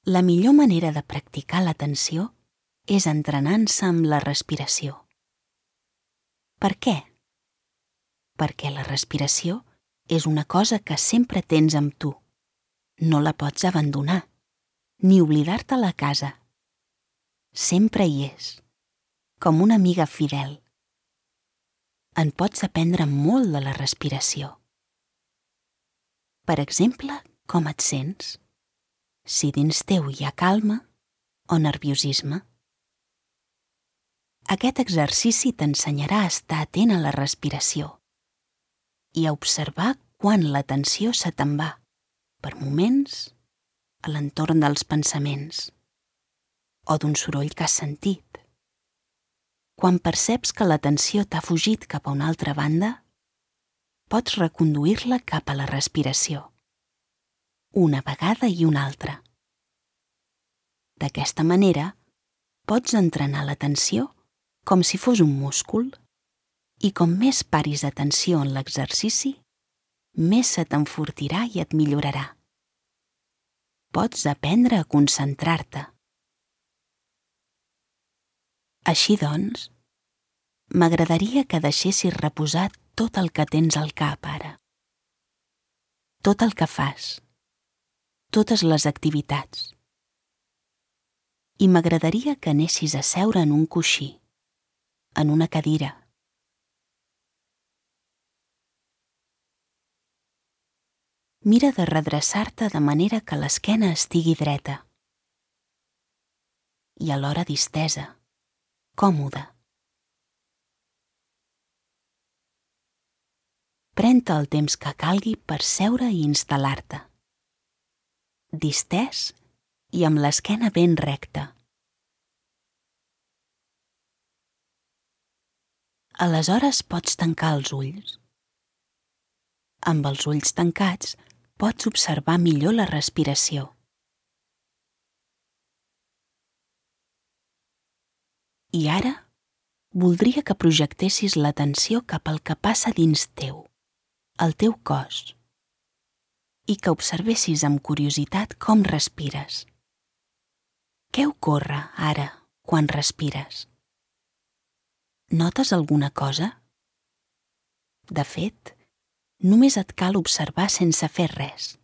La millor manera de practicar l'atenció és entrenant-se amb la respiració. Per què? Perquè la respiració és una cosa que sempre tens amb tu. No la pots abandonar, ni oblidar-te a casa. Sempre hi és, com una amiga fidel. En pots aprendre molt de la respiració. Per exemple, com et sents? Si dins teu hi ha calma o nerviosisme. Aquest exercici t'ensenyarà a estar atent a la respiració i a observar quan l'atenció se te'n va, per moments, a l'entorn dels pensaments o d'un soroll que has sentit. Quan perceps que l'atenció t'ha fugit cap a una altra banda, pots reconduir-la cap a la respiració, una vegada i una altra. D'aquesta manera, pots entrenar l'atenció com si fos un múscul i com més paris atenció en l'exercici, més se t'enfortirà i et millorarà. Pots aprendre a concentrar-te. Així doncs, m'agradaria que deixessis reposar tot el que tens al cap ara. Tot el que fas. Totes les activitats. I m'agradaria que anessis a seure en un coixí, en una cadira. Mira de redreçar-te de manera que l'esquena estigui dreta i alhora distesa, còmoda. Pren-te el temps que calgui per seure i instal·lar-te. Distès i amb l'esquena ben recta. Aleshores pots tancar els ulls. Amb els ulls tancats pots observar millor la respiració. I ara voldria que projectessis l'atenció cap al que passa dins teu, al teu cos, i que observessis amb curiositat com respires. Què ocorre ara quan respires? Notes alguna cosa? De fet, només et cal observar sense fer res,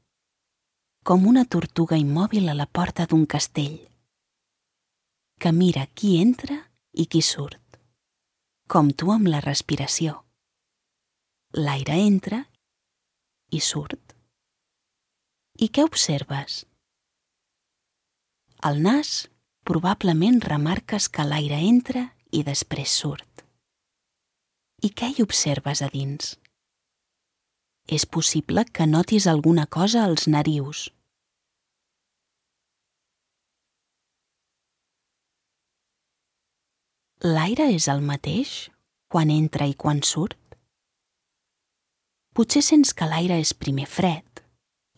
com una tortuga immòbil a la porta d'un castell, que mira qui entra i qui surt, com tu amb la respiració. L'aire entra i surt. I què observes? Al nas probablement remarques que l'aire entra i després surt. I què hi observes a dins? És possible que notis alguna cosa als narius. L'aire és el mateix quan entra i quan surt? Potser sents que l'aire és primer fred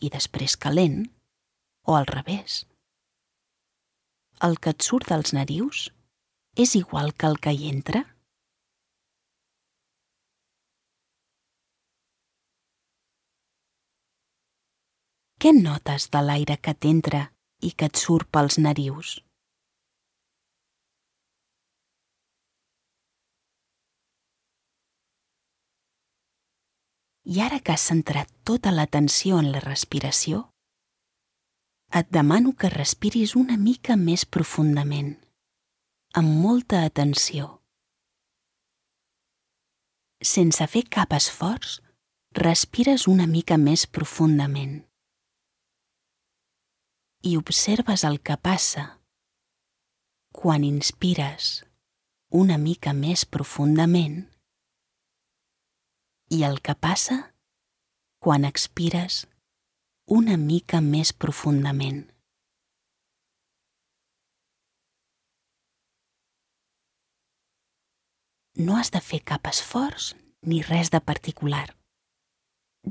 i després calent, o al revés. El que et surt dels narius és igual que el que hi entra? Què notes de l'aire que t'entra i que et surt pels narius? I ara que has centrat tota l'atenció en la respiració, et demano que respiris una mica més profundament, amb molta atenció. Sense fer cap esforç, respires una mica més profundament. I observes el que passa quan inspires una mica més profundament i el que passa quan expires una mica més profundament. No has de fer cap esforç ni res de particular.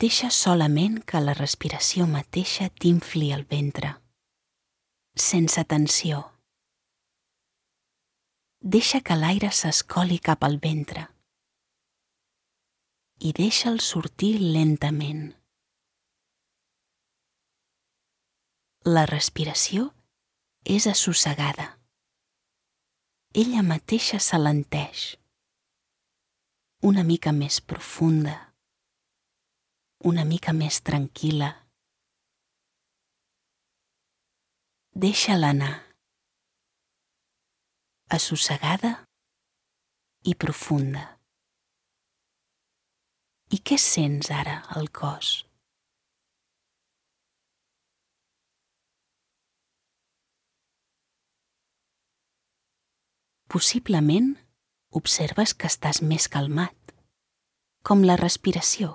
Deixa solament que la respiració mateixa t'infli el ventre, sense tensió. Deixa que l'aire s'escoli cap al ventre i deixa'l sortir lentament. La respiració és assossegada. Ella mateixa s'alenteix. Una mica més profunda, una mica més tranquil·la. Deixa-la anar. Assossegada i profunda. I què sents ara al cos? Possiblement observes que estàs més calmat, com la respiració.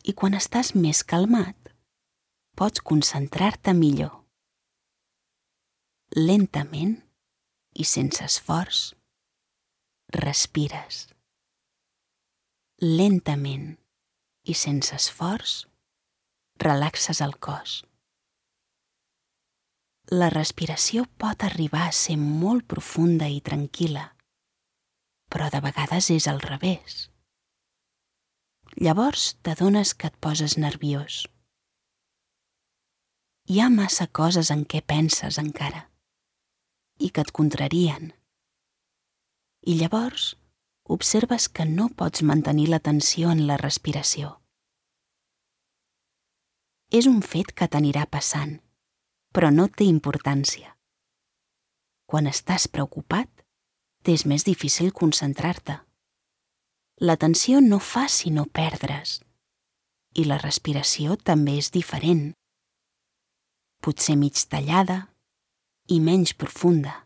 I quan estàs més calmat, pots concentrar-te millor. Lentament i sense esforç, respires. Lentament i sense esforç, relaxes el cos. La respiració pot arribar a ser molt profunda i tranquil·la, però de vegades és al revés. Llavors t'adones que et poses nerviós. Hi ha massa coses en què penses encara i que et contrarien. I llavors observes que no pots mantenir l'atenció en la respiració. És un fet que t'anirà passant, però no té importància. Quan estàs preocupat, t'és més difícil concentrar-te. L'atenció no fa sinó perdre's, i la respiració també és diferent. Potser mig tallada i menys profunda.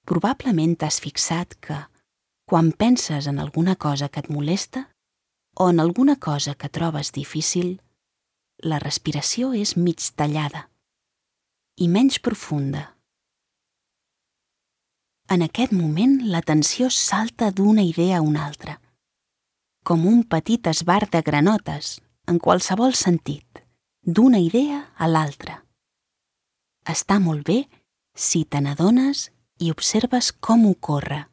Probablement t'has fixat que, quan penses en alguna cosa que et molesta o en alguna cosa que trobes difícil, la respiració és mig tallada i menys profunda. En aquest moment l'atenció salta d'una idea a una altra, com un petit esbart de granotes, en qualsevol sentit, d'una idea a l'altra. Està molt bé si te n'adones i observes com ocorre,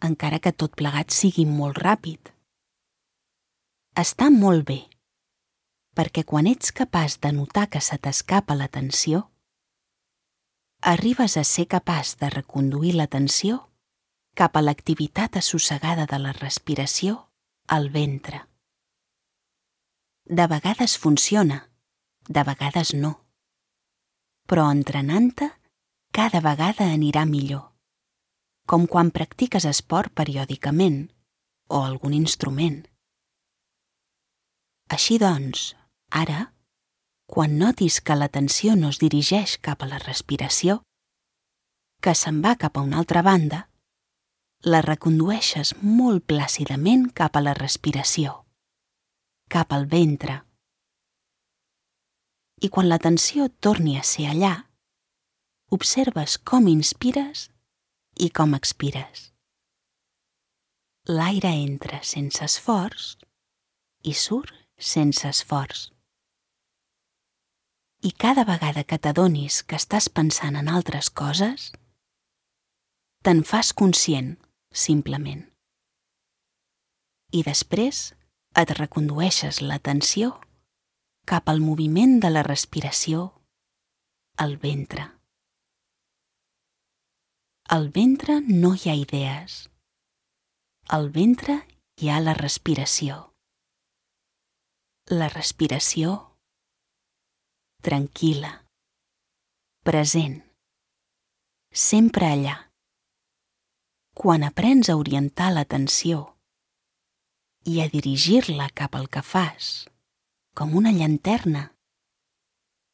encara que tot plegat sigui molt ràpid. Està molt bé, perquè quan ets capaç de notar que se t'escapa l'atenció, arribes a ser capaç de reconduir l'atenció cap a l'activitat assossegada de la respiració al ventre. De vegades funciona, de vegades no, però entrenant-te cada vegada anirà millor, com quan practiques esport periòdicament o algun instrument. Així doncs, ara, quan notis que l'atenció no es dirigeix cap a la respiració, que se'n va cap a una altra banda, la recondueixes molt plàcidament cap a la respiració, cap al ventre. I quan l'atenció torni a ser allà, observes com inspires i com expires. L'aire entra sense esforç i surt sense esforç. I cada vegada que t'adonis que estàs pensant en altres coses, te'n fas conscient, simplement. I després et recondueixes l'atenció cap al moviment de la respiració al ventre. Al ventre no hi ha idees. Al ventre hi ha la respiració. La respiració tranquil·la, present, sempre allà. Quan aprens a orientar l'atenció i a dirigir-la cap al que fas, com una llanterna,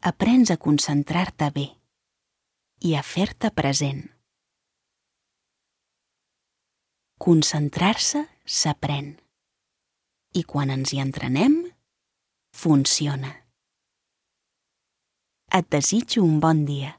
aprens a concentrar-te bé i a fer-te present. Concentrar-se s'aprèn i quan ens hi entrenem, funciona. Et desitjo un bon dia.